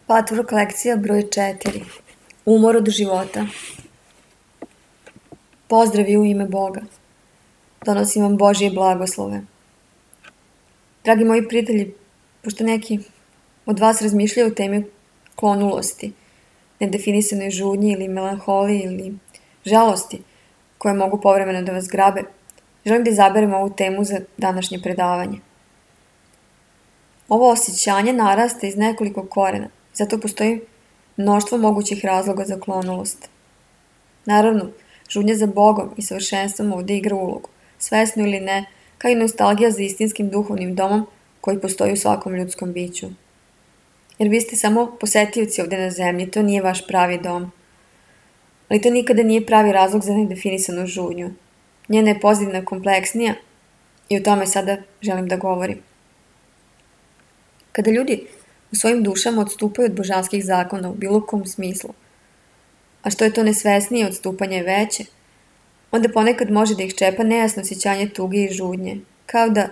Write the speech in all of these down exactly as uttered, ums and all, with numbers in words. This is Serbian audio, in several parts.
Patvork lekcija broj četiri. Umor od života. Pozdravi u ime Boga. Donosim vam Božje blagoslove. Dragi moji prijatelji, pošto neki od vas razmišljaju o temi klonulosti, nedefinisanoj žudnji ili melanholiji ili žalosti koje mogu povremeno da vas grabe, želim da izaberemo ovu temu za današnje predavanje. Ovo osjećanje narasta iz nekoliko korena, zato postoji mnoštvo mogućih razloga za klonulost. Naravno, žudnja za Bogom i savršenstvom ovdje igra ulogu, svesno ili ne, kao i nostalgija za istinskim duhovnim domom koji postoji u svakom ljudskom biću. Jer vi ste samo posetioci ovdje na zemlji, to nije vaš pravi dom. Ali to nikada nije pravi razlog za nedefinisanu žudnju. Njena je pozadina kompleksnija i o tome sada želim da govorim. Kada ljudi u svojim dušama odstupaju od božanskih zakona u bilo kom smislu, a što je to nesvesnije odstupanje je veće, onda ponekad može da ih čepa nejasno osjećanje tuge i žudnje, kao da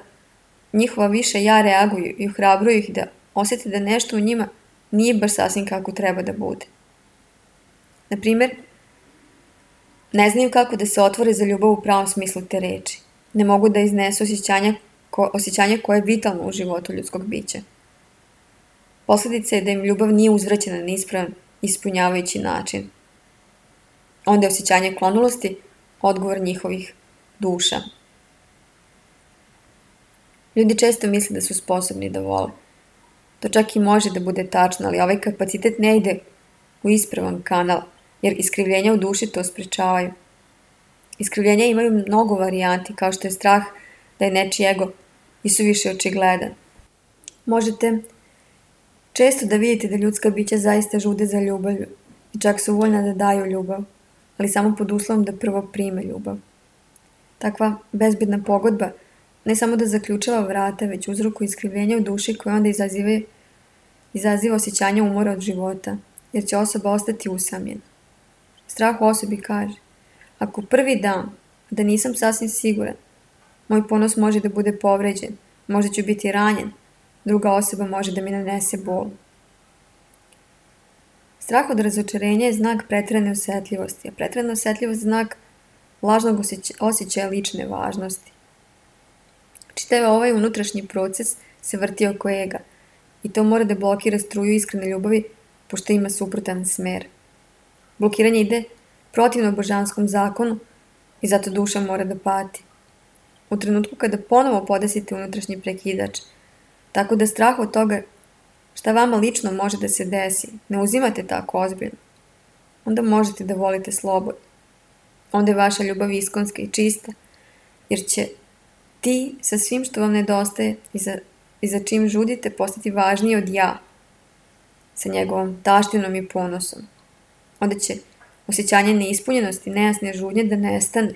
njihova više ja reaguju i ohrabruju ih da osjete da nešto u njima nije baš sasvim kako treba da bude. Na primjer, ne znaju kako da se otvore za ljubav u pravom smislu te reči. Ne mogu da iznesu osjećanje, ko, osjećanje koje je vitalno u životu ljudskog bića. Posljedica je da im ljubav nije uzvraćena na ispravan, ispunjavajući način. Onda je osjećanje klonulosti odgovor njihovih duša. Ljudi često misle da su sposobni da vole. To čak i može da bude tačno, ali ovaj kapacitet ne ide u ispravan kanal, jer iskrivljenja u duši to sprečavaju. Iskrivljenja imaju mnogo varijanti, kao što je strah da je nečiji ego isuviše očigledan. Možete često da vidite da ljudska bića zaista žude za ljubavlju i čak su voljna da daju ljubav, ali samo pod uslovom da prvo prime ljubav. Takva bezbedna pogodba ne samo da zaključava vrata, već uzrokuje iskrivljenja u duši koje onda izaziva, izaziva osjećanje umora od života, jer će osoba ostati usamljena. Strah u osobi kaže, ako prvi dan, da nisam sasvim siguran, moj ponos može da bude povređen, možda ću biti ranjen, druga osoba može da mi nanese bol. Strah od razočarenja je znak preterane osjetljivosti, a preterana osjetljivost je znak lažnog osjećaja lične važnosti. Čitav ovaj unutrašnji proces se vrti oko ega i to mora da blokira struju iskrene ljubavi, pošto ima suprotan smer. Blokiranje ide protivno božanskom zakonu i zato duša mora da pati. U trenutku kada ponovo podesite unutrašnji prekidač, tako da strah od toga šta vama lično može da se desi, ne uzimate tako ozbiljno, onda možete da volite slobodno. Onda je vaša ljubav iskonska i čista, jer će ti sa svim što vam nedostaje i za, i za čim žudite postati važniji od ja, sa njegovom taštinom i ponosom. Onda će osjećanje neispunjenosti, nejasne žudnje da nestane,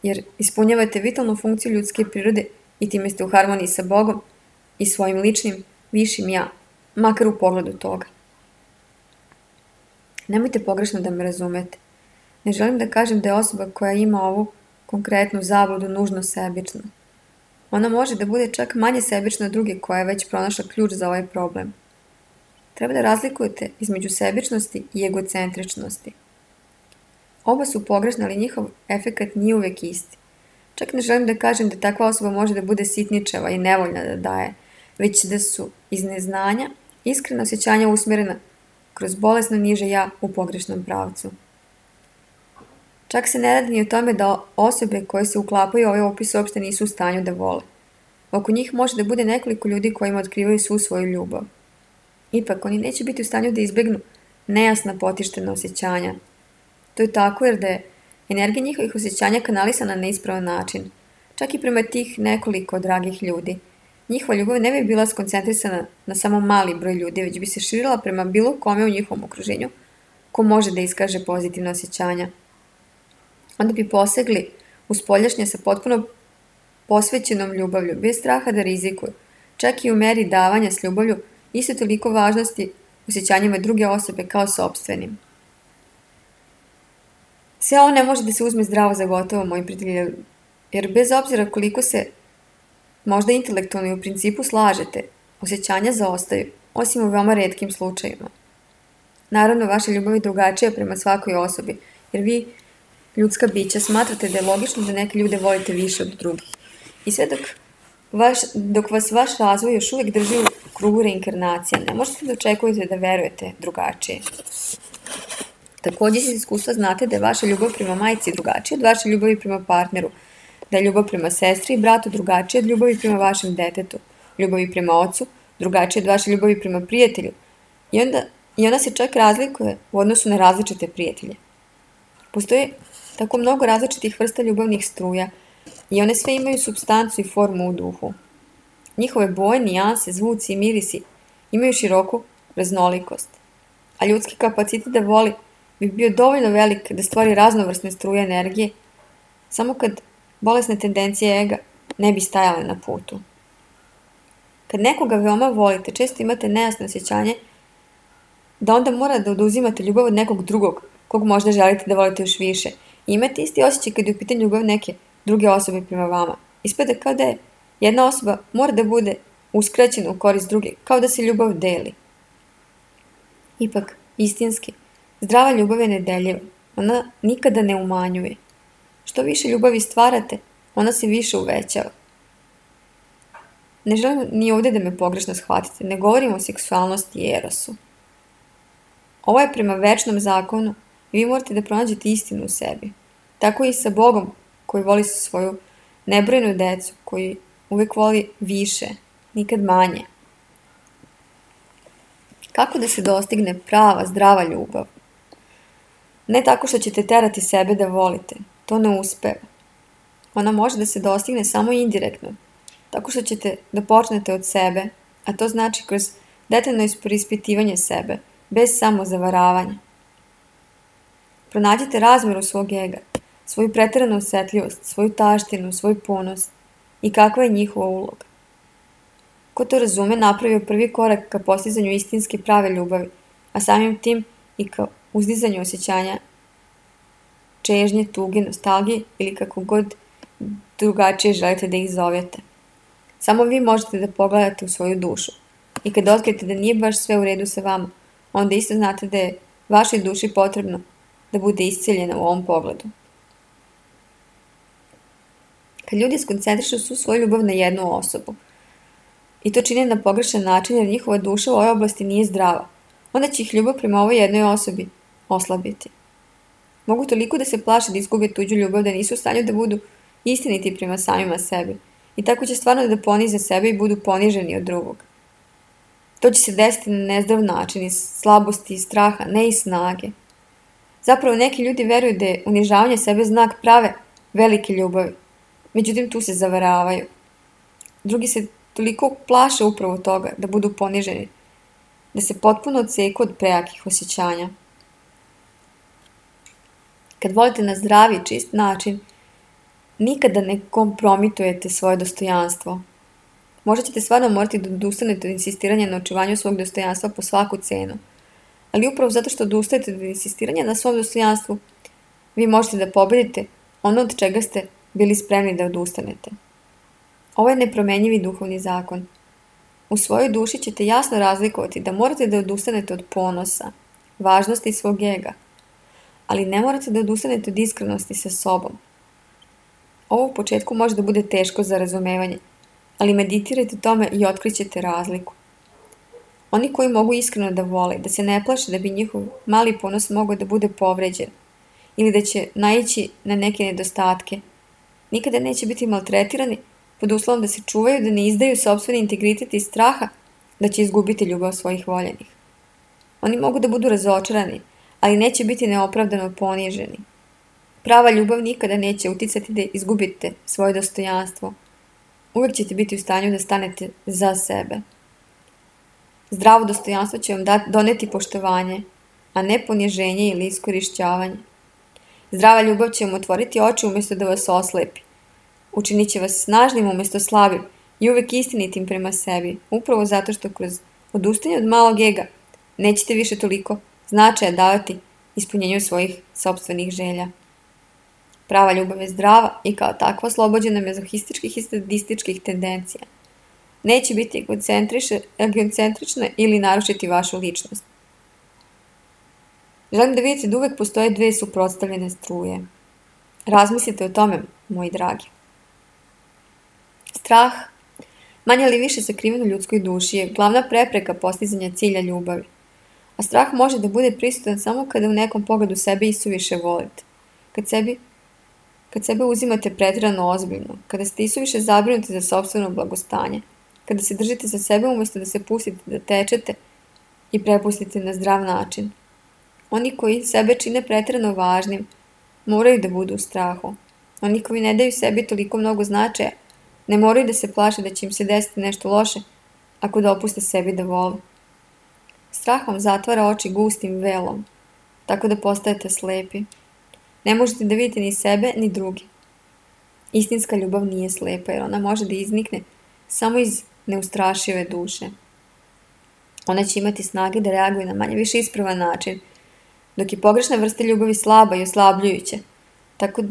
jer ispunjavate vitalnu funkciju ljudske prirode i time ste u harmoniji sa Bogom i svojim ličnim, višim ja, makar u pogledu toga. Nemojte pogrešno da me razumete. Ne želim da kažem da je osoba koja ima ovu konkretnu zabludu nužno sebična. Ona može da bude čak manje sebična od druge koja je već pronašla ključ za ovaj problem. Treba da razlikujete između sebičnosti i egocentričnosti. Oba su pogrešne, ali njihov efekat nije uvek isti. Čak ne želim da kažem da takva osoba može da bude sitničava i nevoljna da daje, već da su iz neznanja iskrena osjećanja usmjerena kroz bolesno niže ja u pogrešnom pravcu. Čak se ne radi ni o tome da osobe koje se uklapaju u ovaj opis uopšte nisu u stanju da vole. Oko njih može da bude nekoliko ljudi kojima otkrivaju svu svoju ljubav. Ipak, oni neće biti u stanju da izbjegnu nejasna potištena osjećanja. To je tako jer da je energija njihovih osjećanja kanalisana na ispravan način, čak i prema tih nekoliko dragih ljudi. Njihova ljubav ne bi bila skoncentrisana na samo mali broj ljudi, već bi se širila prema bilo kome u njihovom okruženju ko može da iskaže pozitivne osjećanja. Onda bi posegli u spoljašnje sa potpuno posvećenom ljubavlju, bez straha da rizikuju, čak i u meri davanja s ljubavlju, isto toliko važnosti osjećanjima druge osobe kao sopstvenim. Sve ovo ne može da se uzme zdravo za gotovo, moji prijatelji, jer bez obzira koliko se možda intelektualno i u principu slažete, osjećanja zaostaju, osim u veoma retkim slučajima. Naravno, vaša ljubav je drugačija prema svakoj osobi, jer vi, ljudska bića, smatrate da je logično da neke ljude volite više od drugih. I sve dok, vaš, dok vas vaš razvoj još uvijek drži u krugu reinkarnacija, ne možete da očekujete da verujete drugačije. Također iz iskustva znate da je vaša ljubav prema majci drugačija od vaše ljubavi prema partneru, da je ljubav prema sestri i bratu drugačija od ljubavi prema vašem detetu, ljubavi prema ocu drugačija od vaše ljubavi prema prijatelju. I onda I ona se čak razlikuje u odnosu na različite prijatelje. Postoji tako mnogo različitih vrsta ljubavnih struja i one sve imaju supstancu i formu u duhu. Njihove boje, nijanse, zvuci i mirisi imaju široku raznolikost, a ljudski kapacitet da voli bi bio dovoljno velik da stvori raznovrsne struje energije, samo kad bolesne tendencije ega ne bi stajale na putu. Kad nekoga veoma volite, često imate nejasno osjećanje da onda mora da oduzimate ljubav od nekog drugog, kog možda želite da volite još više. I imate isti osjećaj kad je u pitanju ljubav neke druge osobe prema vama. Ispada kao da je jedna osoba mora da bude uskraćena u korist druge, kao da se ljubav deli. Ipak, istinski, zdrava ljubav je nedeljiva. Ona nikada ne umanjuje. Što više ljubavi stvarate, ona se više uvećava. Ne želim ni ovdje da me pogrešno shvatite, ne govorim o seksualnosti i erosu. Ovo je prema večnom zakonu i vi morate da pronađete istinu u sebi. Tako i sa Bogom koji voli svoju nebrojenu decu, koji uvijek voli više, nikad manje. Kako da se dostigne prava, zdrava ljubav? Ne tako što ćete terati sebe da volite, to ne uspeva. Ona može da se dostigne samo indirektno, tako što ćete da počnete od sebe, a to znači kroz detaljno ispreispitivanje sebe, bez samozavaravanja. Pronađite razmjeru svog ega, svoju preteranu osjetljivost, svoju taštinu, svoj ponos i kakva je njihova uloga. Ko to razume, napravio prvi korak ka postizanju istinske prave ljubavi, a samim tim i ka uzdizanju osjećanja čežnje, tuge, nostalgije ili kako god drugačije želite da ih zovete. Samo vi možete da pogledate u svoju dušu i kad otkrijete da nije baš sve u redu sa vama, onda isto znate da je vašoj duši potrebno da bude isceljena u ovom pogledu. Kad ljudi skoncentrišu svu svoju ljubav na jednu osobu i to čine na pogrešan način jer njihova duša u ovoj oblasti nije zdrava, onda će ih ljubav prema ovoj jednoj osobi oslabiti. Mogu toliko da se plaše da izgube tuđu ljubav da nisu u stanju da budu istiniti prema samima sebi i tako će stvarno da ponize sebe i budu poniženi od drugog. To će se desiti na nezdrav način, iz slabosti i straha, ne iz snage. Zapravo neki ljudi veruju da je unižavanje sebe znak prave, velike ljubavi. Međutim, tu se zavaravaju. Drugi se toliko plaše upravo toga da budu poniženi, da se potpuno odseku od prejakih osjećanja. Kad volite na zdravi, čist način, nikada ne kompromitujete svoje dostojanstvo. Možda ćete stvarno morati da odustanete od insistiranja na očuvanju svog dostojanstva po svaku cenu. Ali upravo zato što odustajete od insistiranja na svom dostojanstvu, vi možete da pobedite ono od čega ste bili spremni da odustanete. Ovo je nepromenjivi duhovni zakon. U svojoj duši ćete jasno razlikovati da morate da odustanete od ponosa, važnosti svog ega, ali ne morate da odustanete od iskrenosti sa sobom. Ovo u početku može da bude teško za razumevanje, ali meditirajte tome i otkrićete razliku. Oni koji mogu iskreno da vole, da se ne plaše da bi njihov mali ponos mogao da bude povređen ili da će naići na neke nedostatke, nikada neće biti maltretirani pod uslovom da se čuvaju da ne izdaju sopstveni integritet iz straha da će izgubiti ljubav svojih voljenih. Oni mogu da budu razočarani, ali neće biti neopravdano poniženi. Prava ljubav nikada neće uticati da izgubite svoje dostojanstvo. Uvijek ćete biti u stanju da stanete za sebe. Zdravo dostojanstvo će vam doneti poštovanje, a ne poniženje ili iskorišćavanje. Zdrava ljubav će vam otvoriti oči umjesto da vas oslepi. Učinit će vas snažnim umjesto slabim i uvijek istinitim prema sebi, upravo zato što kroz odustajanje od malog ega nećete više toliko značaja davati ispunjenju svojih sopstvenih želja. Prava ljubav je zdrava i kao takva oslobođena mezohističkih i sadističkih tendencija. Neće biti egocentrična ili narušiti vašu ličnost. Želim da vidite da uvek postoje dve suprotstavljene struje. Razmislite o tome, moji dragi. Strah, manje ili više sakriven u ljudskoj duši, je glavna prepreka postizanja cilja ljubavi. A strah može da bude prisutan samo kada u nekom pogledu sebe isuviše volite. Kad sebi Kad sebe uzimate pretirano ozbiljno, kada ste isuviše zabrinuti za sopstveno blagostanje, kada se držite za sebe umjesto da se pustite da tečete i prepustite na zdrav način. Oni koji sebe čine pretirano važnim, moraju da budu u strahu. Oni koji ne daju sebi toliko mnogo značaja, ne moraju da se plaše da će im se desiti nešto loše ako dopuste sebi da vole. Strah vam zatvara oči gustim velom, tako da postajete slepi. Ne možete da vidite ni sebe, ni drugi. Istinska ljubav nije slepa, jer ona može da iznikne samo iz neustrašive duše. Ona će imati snage da reaguje na manje više ispravan način, dok je pogrešna vrsta ljubavi slaba i oslabljujuća, tako,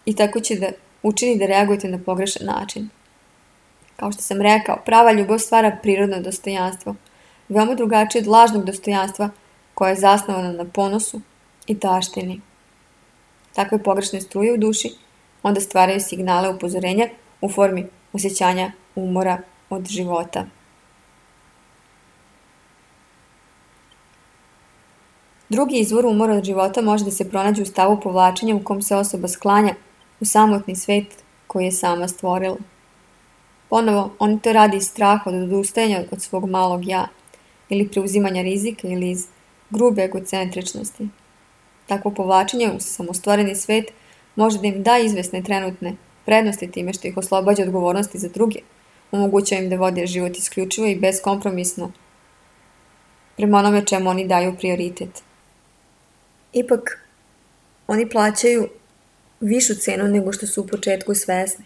i tako će da učini da reagujete na pogrešan način. Kao što sam rekao, prava ljubav stvara prirodno dostojanstvo, veoma drugačije od lažnog dostojanstva koje je zasnovano na ponosu i taštini. Takve pogrešne struje u duši onda stvaraju signale upozorenja u formi osjećanja umora od života. Drugi izvor umora od života može da se pronađe u stavu povlačenja u kom se osoba sklanja u samotni svet koji je sama stvorila. Ponovo, on to radi iz straha od odustajanja od svog malog ja, ili preuzimanja rizika, ili iz grube egocentričnosti. Takvo povlačenje u samostvoreni svet može da im da izvesne trenutne prednosti time što ih oslobađa odgovornosti za druge, omogućava im da vode život isključivo i beskompromisno prema onome čemu oni daju prioritet. Ipak, oni plaćaju višu cenu nego što su u početku svesni.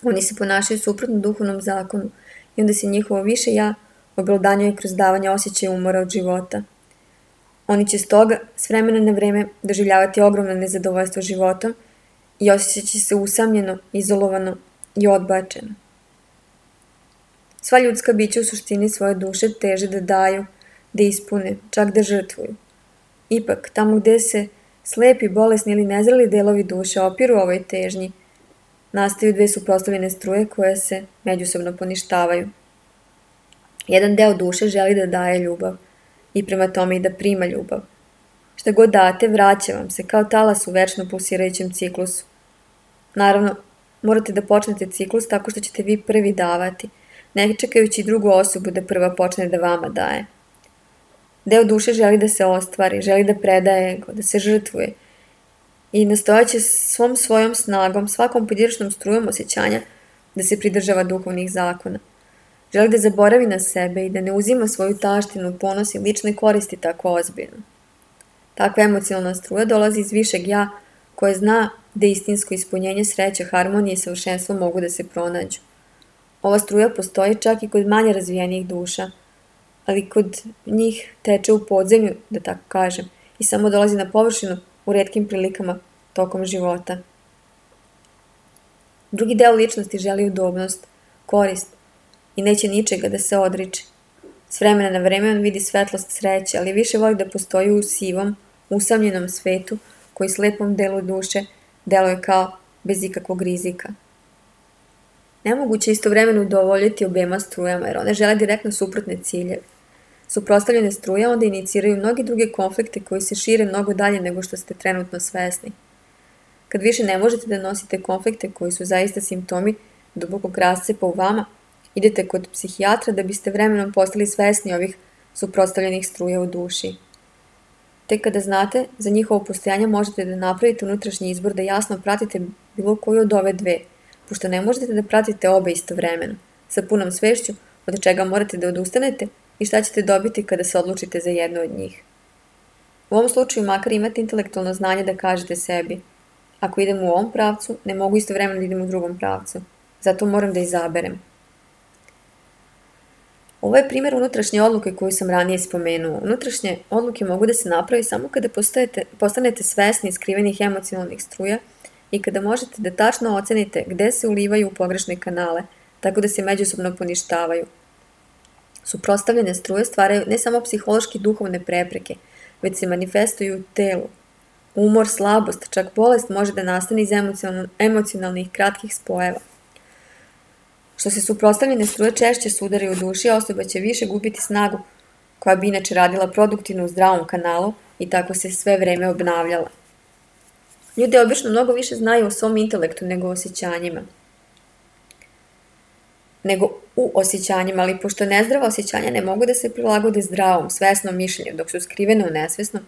Oni se ponašaju suprotno duhovnom zakonu i onda se njihovo više ja oblodanjuje kroz davanje osjećaja umora od života. Oni će stoga s vremena na vreme doživljavati ogromno nezadovoljstvo životom i osjećat će se usamljeno, izolovano i odbačeno. Sva ljudska bića u suštini svoje duše teže da daju, da ispune, čak da žrtvuju. Ipak, tamo gde se slepi, bolesni ili nezreli delovi duše opiru ovoj težnji, nastaju dve suprotstavljene struje koje se međusobno poništavaju. Jedan deo duše želi da daje ljubav i prema tome i da prima ljubav. Šta god date, vraća vam se kao talas u večno pulsirajućem ciklusu. Naravno, morate da počnete ciklus tako što ćete vi prvi davati, ne čekajući drugu osobu da prva počne da vama daje. Deo duše želi da se ostvari, želi da predaje ego, da se žrtvuje i nastojaće svom svojom snagom, svakom pojedinačnom strujom osjećanja da se pridržava duhovnih zakona. Želi da zaboravi na sebe i da ne uzima svoju taštinu, ponos i lične koristi tako ozbiljno. Takva emocionalna struja dolazi iz višeg ja koje zna da istinsko ispunjenje, sreća, harmonije i savršenstvo mogu da se pronađu. Ova struja postoji čak i kod manje razvijenijih duša, ali kod njih teče u podzemlju, da tako kažem, i samo dolazi na površinu u retkim prilikama tokom života. Drugi deo ličnosti želi udobnost, korist i neće ničega da se odriče. S vremena na vreme on vidi svetlost sreće, ali više voli da postoji u sivom, usamljenom svetu koji slepom delu duše deluje kao bez ikakvog rizika. Nemoguće je istovremeno udovoljiti obema strujama, jer one žele direktno suprotne ciljeve. Suprotstavljene struje onda iniciraju mnogi druge konflikte koji se šire mnogo dalje nego što ste trenutno svesni. Kad više ne možete da nosite konflikte koji su zaista simptomi dubokog rascepa u vama, idete kod psihijatra da biste vremenom postali svesni ovih suprotstavljenih struja u duši. Tek kada znate za njihovo postojanje možete da napravite unutrašnji izbor da jasno pratite bilo koju od ove dve, pošto ne možete da pratite obe istovremeno, sa punom svešću od čega morate da odustanete i šta ćete dobiti kada se odlučite za jednu od njih. U ovom slučaju makar imate intelektualno znanje da kažete sebi: ako idem u ovom pravcu, ne mogu istovremeno da idem u drugom pravcu, zato moram da izaberem. Ovo je primjer unutrašnje odluke koju sam ranije spomenuo. Unutrašnje odluke mogu da se napravi samo kada postajete, postanete svesni skrivenih emocionalnih struja i kada možete da tačno ocenite gde se ulivaju u pogrešne kanale, tako da se međusobno poništavaju. Suprotstavljene struje stvaraju ne samo psihološki duhovne prepreke, već se manifestuju u telu. Umor, slabost, čak bolest može da nastane iz emocionalnih kratkih spojeva. Što se suprotstavljene struje češće sudari u duši, osoba će više gubiti snagu koja bi inače radila produktivno u zdravom kanalu i tako se sve vreme obnavljala. Ljudi obično mnogo više znaju o svom intelektu nego o osjećanjima. Nego u osjećanjima, ali pošto nezdrava osjećanja ne mogu da se prilagode zdravom, svesnom mišljenju, dok su skrivene u nesvesnom,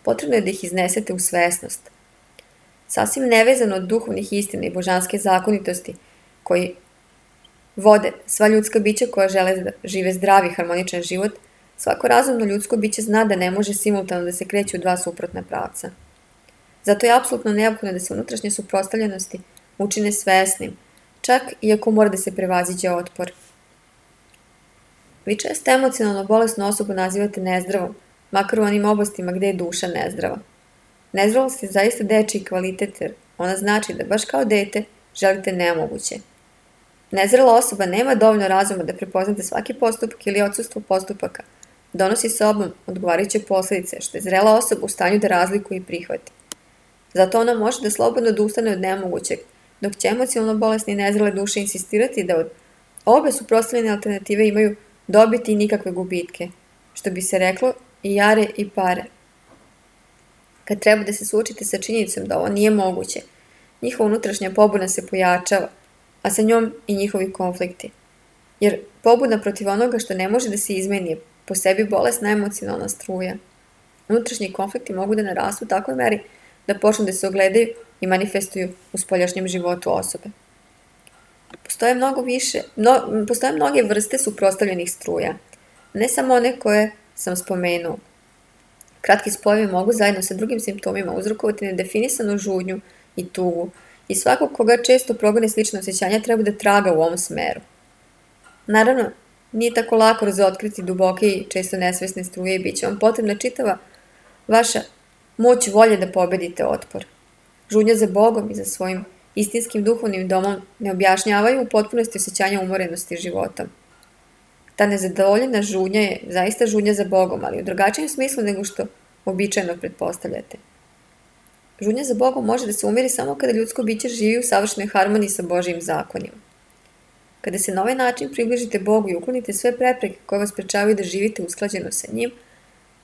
potrebno je da ih iznesete u svesnost. Sasvim nevezano od duhovnih istina i božanske zakonitosti koji vode sva ljudska bića koja žele da žive zdravi, harmoničan život, svako razumno ljudsko biće zna da ne može simultano da se kreće u dva suprotna pravca. Zato je apsolutno neophodno da se unutrašnje suprotstavljenosti učine svesnim, čak iako mora da se prevaziđe otpor. Vi često emocionalno bolesnu osobu nazivate nezdravom, makar u onim oblastima gde je duša nezdrava. Nezdravost je zaista dečiji kvalitet, jer ona znači da baš kao dete želite nemoguće. Nezrela osoba nema dovoljno razuma da prepozna da svaki postupak ili odsustvo postupaka donosi sobom odgovarajuće posledice, što je zrela osoba u stanju da razlikuje i prihvati. Zato ona može da slobodno odustane od nemogućeg, dok će emocionalno bolesne i nezrele duše insistirati da od obe suprotstavljene alternative imaju dobiti i nikakve gubitke, što bi se reklo i jare i pare. Kad treba da se suočite sa činjenicom da ovo nije moguće, njihova unutrašnja pobuna se pojačava, a sa njom i njihovi konflikti. Jer pobuna protiv onoga što ne može da se izmeni je po sebi bolesna emocionalna struja. Unutrašnji konflikti mogu da narastu u takvoj meri da počnu da se ogledaju i manifestuju u spoljašnjem životu osobe. Postoje, mnogo više, mno, postoje mnoge vrste suprotstavljenih struja, ne samo one koje sam spomenuo. Kratki spojevi mogu zajedno sa drugim simptomima uzrokovati nedefinisanu žudnju i tugu i svakog koga često progone slične osjećanja treba da traga u ovom smeru. Naravno, nije tako lako razotkriti duboke i često nesvesne struje i bit će vam potrebna čitava vaša moć volje da pobedite otpor. Žudnja za Bogom i za svojim istinskim duhovnim domom ne objašnjavaju u potpunosti osjećanja umorenosti životom. Ta nezadovoljena žudnja je zaista žudnja za Bogom, ali u drugačijem smislu nego što običajno pretpostavljate. Žudnja za Bogom može da se umiri samo kada ljudsko biće živi u savršenoj harmoniji sa Božijim zakonima. Kada se na ovaj način približite Bogu i uklonite sve prepreke koje vas sprečavaju da živite usklađeno sa njim,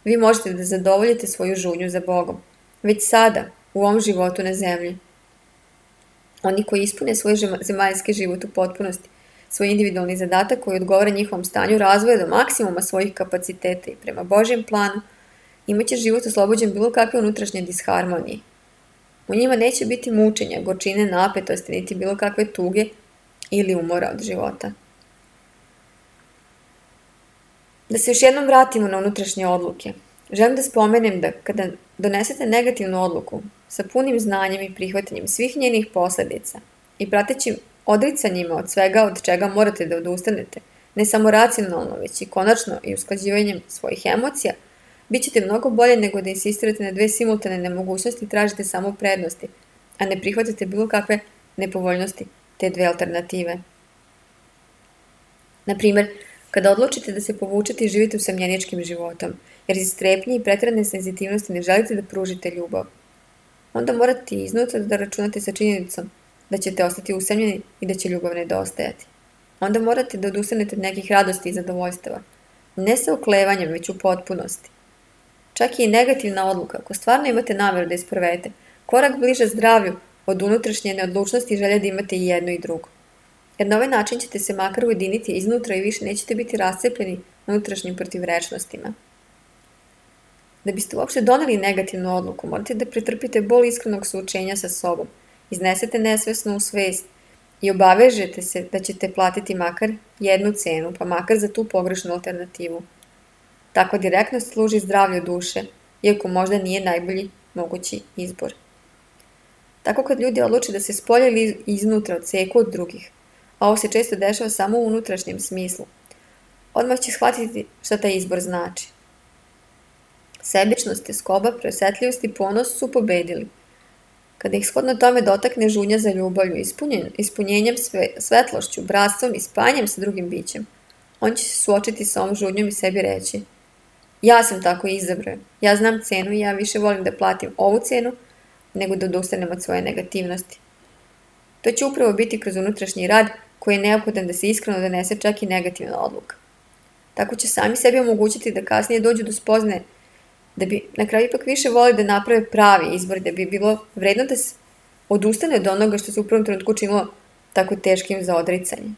vi možete da zadovoljite svoju žudnju za Bogom, već sada, u ovom životu na zemlji. Oni koji ispune svoj zemaljski život u potpunosti, svoj individualni zadatak koji odgovara njihovom stanju razvoja do maksimuma svojih kapaciteta i prema Božjem planu, imaće život oslobođen bilo kakve unutrašnje disharmonije. U njima neće biti mučenja, gorčine, napetosti, niti bilo kakve tuge ili umora od života. Da se još jednom vratimo na unutrašnje odluke. Želim da spomenem da kada donesete negativnu odluku sa punim znanjem i prihvatanjem svih njenih posledica i pratećim odricanjima od svega od čega morate da odustanete, ne samo racionalno, već i konačno i usklađivanjem svojih emocija, bit ćete mnogo bolje nego da insistirate na dve simultane nemogućnosti i tražite samo prednosti, a ne prihvatate bilo kakve nepovoljnosti te dve alternative. Naprimer, kada odlučite da se povučete i živite usamljeničkim životom, jer iz strepnje i pretjerane senzitivnosti ne želite da pružite ljubav, onda morate iznutra da računate sa činjenicom da ćete ostati usamljeni i da će ljubav nedostajati. Onda morate da odustanete od nekih radosti i zadovoljstava, ne sa oklevanjem, već u potpunosti. Čak i negativna odluka, ako stvarno imate nameru da isprovedete, korak bliže zdravlju od unutrašnje neodlučnosti i želje da imate i jedno i drugo. Jer na ovaj način ćete se makar ujediniti iznutra i više nećete biti rascepljeni unutrašnjim protivrečnostima. Da biste uopšte doneli negativnu odluku, morate da pretrpite bol iskrenog suočenja sa sobom, iznesete nesvesno u svest i obavežete se da ćete platiti makar jednu cenu, pa makar za tu pogrešnu alternativu. Tako direktnost služi zdravlju duše, iako možda nije najbolji mogući izbor. Tako kad ljudi odluče da se spolja ili iznutra odseku od drugih, a ovo se često dešava samo u unutrašnjem smislu, odmah će shvatiti šta taj izbor znači. Sebičnost, tjeskoba, preosetljivost i ponos su pobedili. Kada ih shodno tome dotakne žudnja za ljubavlju, ispunjen, ispunjenjem sve, svetlošću, bratstvom i spajanjem sa drugim bićem, on će se suočiti sa ovom žudnjom i sebi reći: Ja sam tako izabrao, ja znam cenu i ja više volim da platim ovu cenu nego da odustanem od svoje negativnosti. To će upravo biti kroz unutrašnji rad koji je neophodan da se iskreno donese čak i negativna odluka. Tako će sami sebi omogućiti da kasnije dođu do spoznaje da bi na kraju ipak više voli da naprave pravi izbor, da bi bilo vredno da se odustane od onoga što se u prvom trenutku činilo tako teškim za odricanje.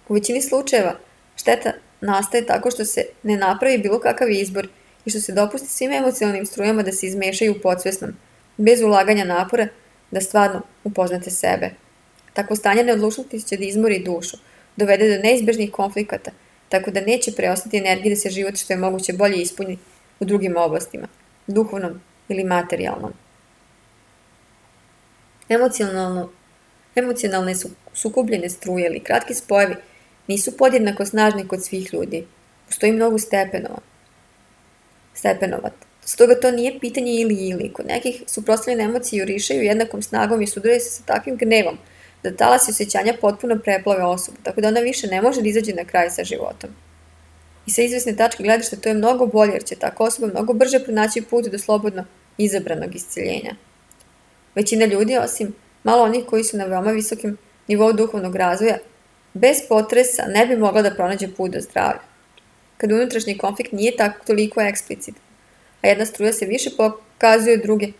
U većini slučajeva šteta nastaje tako što se ne napravi bilo kakav izbor i što se dopusti svim emocionalnim strujama da se izmešaju u podsvesnom, bez ulaganja napora da stvarno upoznate sebe. Takvo stanje neodlučnosti će da izmori dušu, dovede do neizbežnih konflikata, tako da neće preostati energije da se život što je moguće bolje ispuni u drugim oblastima, duhovnom ili materijalnom. Emocionalno, emocionalne su sukobljene struje ili kratki spojevi nisu podjednako snažni kod svih ljudi. Postoji mnogo stepenova. Stepenova. Stoga to nije pitanje ili ili. Kod nekih suprotstavljene emocije jurišaju jednakom snagom i sudaraju se sa takvim gnevom da talasi osjećanja potpuno preplave osobu, tako da ona više ne može da izađe na kraj sa životom. I sa izvesne tačke gledišta to je mnogo bolje jer će tako osoba mnogo brže pronaći put do slobodno izabranog isceljenja. Većina ljudi, osim malo onih koji su na veoma visokim nivou duhovnog razvoja, bez potresa ne bi mogla da pronađe put do zdravlja. Kad unutrašnji konflikt nije tako toliko eksplicitan, a jedna struja se više pokazuje od druge,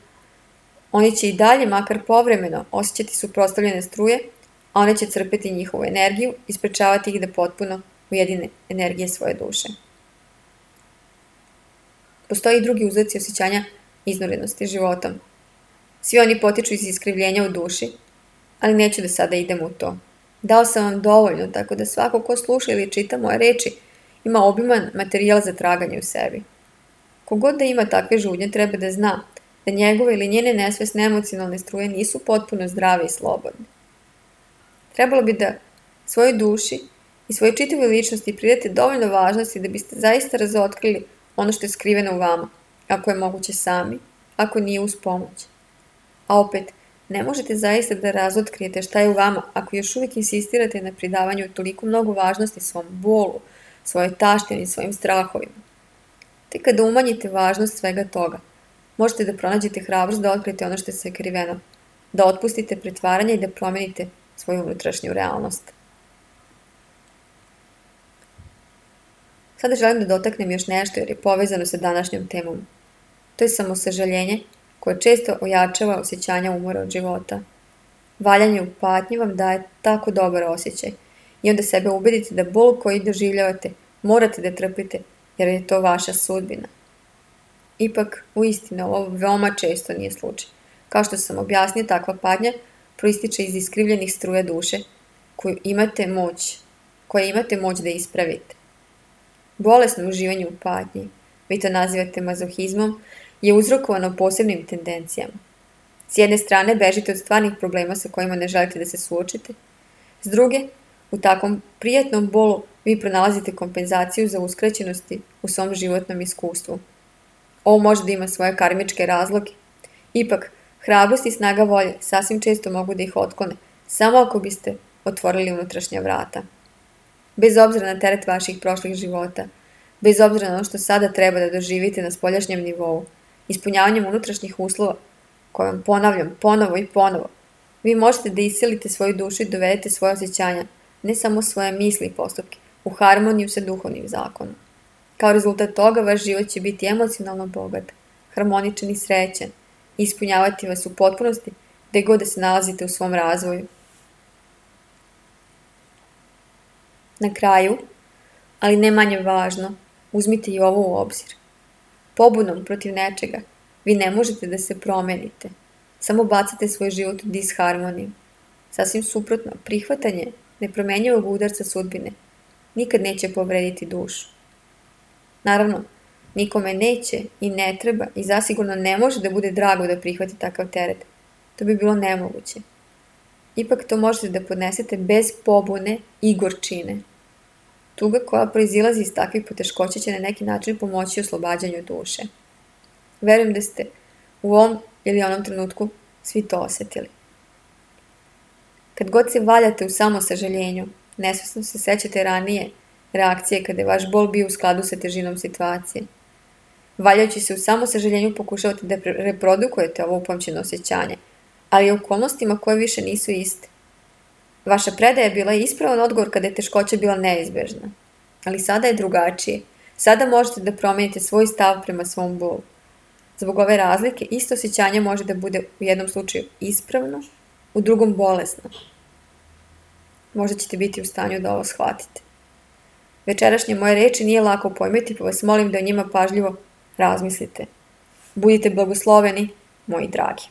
oni će i dalje, makar povremeno, osjećati suprotstavljene struje, a one će crpeti njihovu energiju i sprečavati ih da potpuno ujedine energije svoje duše. Postoji i drugi uzroci osjećanja iznorenosti životom. Svi oni potiču iz iskrivljenja u duši, ali neću da sada idem u to. Dao sam vam dovoljno, tako da svako ko sluša ili čita moje reči ima obiman materijal za traganje u sebi. Kogod da ima takve žudnje treba da zna da njegove ili njene nesvesne emocionalne struje nisu potpuno zdrave i slobodne. Trebalo bi da svojoj duši i svojoj čitavoj ličnosti pridate dovoljno važnosti da biste zaista razotkrili ono što je skriveno u vama, ako je moguće sami, ako nije uz pomoć. A opet, ne možete zaista da razotkrijete šta je u vama ako još uvijek insistirate na pridavanju toliko mnogo važnosti svom bolu, svojoj taštini i svojim strahovima. Te kada umanjite važnost svega toga, možete da pronađete hrabrost da otkrijete ono što je sakriveno, da otpustite pretvaranje i da promenite svoju unutrašnju realnost. Sada želim da dotaknem još nešto jer je povezano sa današnjom temom. To je samosažaljenje koje često ojačava osjećanja umora od života. Valjanje u patnji vam daje tako dobar osjećaj i onda sebe ubedite da bol koji doživljavate morate da trpite jer je to vaša sudbina. Ipak, uistinu, ovo veoma često nije slučaj. Kao što sam objasnio, takva patnja proističe iz iskrivljenih struja duše koju imate moć, koje imate moć da ispravite. Bolesno uživanje u patnji, vi to nazivate mazohizmom, je uzrokovano posebnim tendencijama. S jedne strane bežite od stvarnih problema sa kojima ne želite da se suočite, s druge, u takvom prijatnom bolu vi pronalazite kompenzaciju za uskraćenosti u svom životnom iskustvu. Ovo može da ima svoje karmičke razloge. Ipak, hrabrost i snaga volje sasvim često mogu da ih otklone, samo ako biste otvorili unutrašnja vrata. Bez obzira na teret vaših prošlih života, bez obzira na ono što sada treba da doživite na spoljašnjem nivou, ispunjavanjem unutrašnjih uslova, koje vam ponavljam ponovo i ponovo, vi možete da isilite svoju dušu i dovedete svoje osjećanja, ne samo svoje misli i postupke, u harmoniju sa duhovnim zakonom. Kao rezultat toga, vaš život će biti emocionalno bogat, harmoničan i srećan, i ispunjavati vas u potpunosti gde god da se nalazite u svom razvoju. Na kraju, ali ne manje važno, uzmite i ovo u obzir. Pobunom protiv nečega vi ne možete da se promenite, samo bacate svoj život u disharmoniju. Sasvim suprotno, prihvatanje nepromenjivog udarca sudbine nikad neće povrediti dušu. Naravno, nikome neće i ne treba i zasigurno ne može da bude drago da prihvati takav teret. To bi bilo nemoguće. Ipak to možete da podnesete bez pobune i gorčine. Tuga koja proizilazi iz takvih poteškoća će na neki način pomoći oslobađanju duše. Verujem da ste u ovom ili onom trenutku svi to osetili. Kad god se valjate u samosažaljenju, nesvesno se sećate ranije reakcije kada je vaš bol bio u skladu sa težinom situacije. Valjajući se u samosažaljenju pokušavate da reprodukujete ovo upamćeno osjećanje, ali u okolnostima koje više nisu iste. Vaša predaja bila je ispravan odgovor kada je teškoća bila neizbežna. Ali sada je drugačije. Sada možete da promenite svoj stav prema svom bolu. Zbog ove razlike, isto osjećanje može da bude u jednom slučaju ispravno, u drugom bolesno. Možda ćete biti u stanju da ovo shvatite. Večerašnje moje reči nije lako pojmiti, pa vas molim da o njima pažljivo razmislite. Budite blagosloveni, moji dragi.